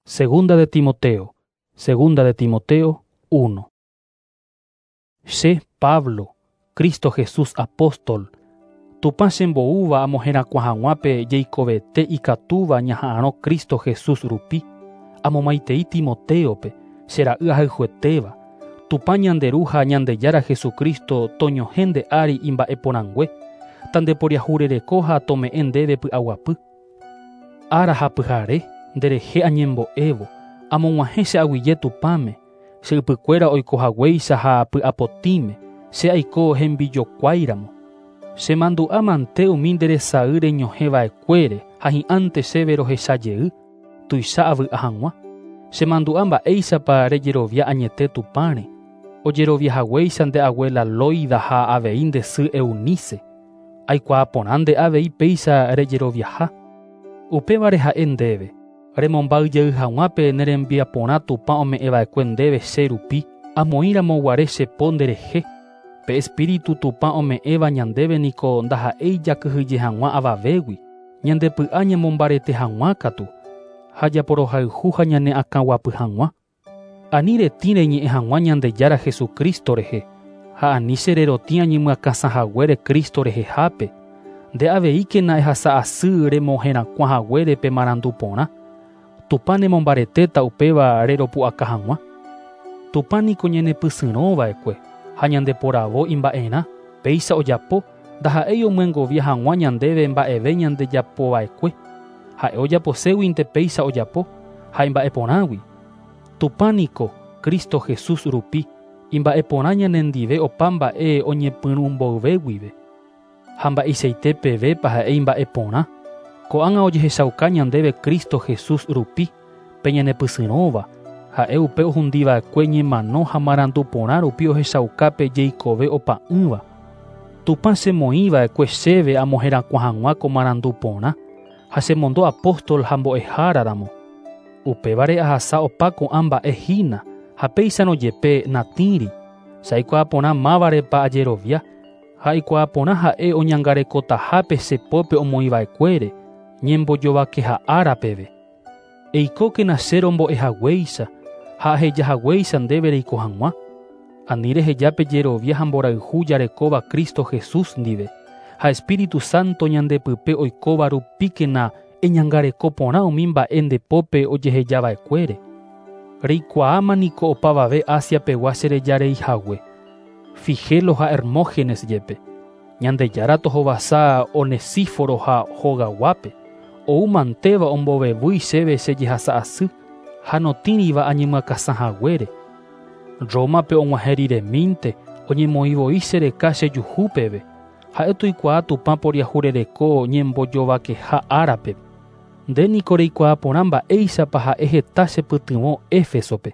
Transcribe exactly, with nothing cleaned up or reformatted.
Segunda de Timoteo, Segunda de Timoteo uno. Che Pablo, Cristo Jesús apóstol, Tupã chemboúva amoherakuã hag̃uápe jeikovete ikatúva ñaha'arõ Cristo Jesús rupi, amomaitei Timoteope, che ra'y ahayhuetéva, Tupã ñande Ru ha Ñandejára Jesucristo toñohẽ nde ári imba'eporãngue, tandeporiahurereko ha tome'ẽ ndéve py'aguapy. Ára ha pyhare nderehe añembo'évo, amog̃uahẽ che aguyje Tupãme, che ypykuéra oikohaguéicha ha py'apotĩme, che aiko hembijokuáiramo. Chemandu'a mante umi nderesay reñohẽva'ekuére ha hi'ãnte chéve rohecha jey, tuicha avy'a hag̃ua. Chemandu'a mba'éichapa rejerovia añete Tupãre, ojeroviahaguéicha nde abuela Loida ha avei nde sy Eunice. Aikuaa porã nde avei péicha rejeroviaha. Upévare ha'e ndéve, remomba'yjey hag̃ua pe nerembiaporã Tupã ome'ẽva'ekue ndéve che rupi, amoĩramoguare che po nderehe. Pe Espíritu Tupã ome'ẽva ñandéve niko ndaha'éi jakyhyje hag̃ua avavégui, ñandepy'a ñamombarete hag̃ua katu, ha japorohayhu ha ñane akãguapy hag̃ua. Ani retĩ reñe'ẽ hag̃ua Ñandejára Jesucristo rehe, ha ani che rerotĩ añemyakãsãhaguére Cristo rehehápe, nde aveíkena ehasa asy remoherakuã haguére pe marandu porã. Tupã nemombaretéta upéva reropu'aka hag̃ua. Tupã niko ñanepysyrõva'ekue ha ñandeporavo imba'erã, péicha ojapo ndaha'éi omyengovia hag̃ua ñandéve mba'eve ñandejapova'ekue. Ha'e ojaposéguinte péicha ojapo ha imba'eporãgui. Tupã niko Cristo Jesús rupi imba'eporã ñanendive opa mba'e oñepyrũ mboyve guive. Ha mba'eichaite pevépa ha'e imba'eporã. Ko'ág̃a ojehechauka ñandéve Cristo Jesús rupi pe ñanepysyrõva, ha'e upe ohundiva'ekue ñemano ha marandu porã rupi ohechauka pe jeikove opa'ỹva. Tupã chemoĩva'ekue chéve amoherakuã hag̃ua ko marandu porã ha chemondo apóstol ha mbo'eháraramo. Upévare ahasa opa ko'ã mba'e hína ha péicharõ jepe natĩri. Che aikuaa porã mávarepa ajerovia ha aikuaa porã ha'e oñangarekotahápe che pópe omoĩva'ekuére ñembojovakeha ára peve. Eikókena che rombo'ehaguéicha ha ahejahaguéicha ndéve reiko hag̃ua. Ani reheja pe jerovia ha mborayhu jarekóva Cristo Jesús ndive ha Espíritu Santo ñandepype oikóva rupíkena eñangareko porã umi mba'e nde pópe ojehejava'ekuére. Reikuaáma niko opavave Asia pegua cherejareihague, Figelo ha Hermógenes jepe. Ñandejára tohovasa Onesíforo ha hogaguápe, ou mantéva ombovevýi chéve che jehasa asy ha notĩriva añemyakãsãhaguére. Rómape og̃uahẽ riremínte oñemoĩvoi chereka chejuhu peve. Ha'e toikuaa Tupã poriahurereko ñembojovakeha árape. Nde niko reikuaa porã mba'éichapa ha'e heta chepytyvõ Éfesope.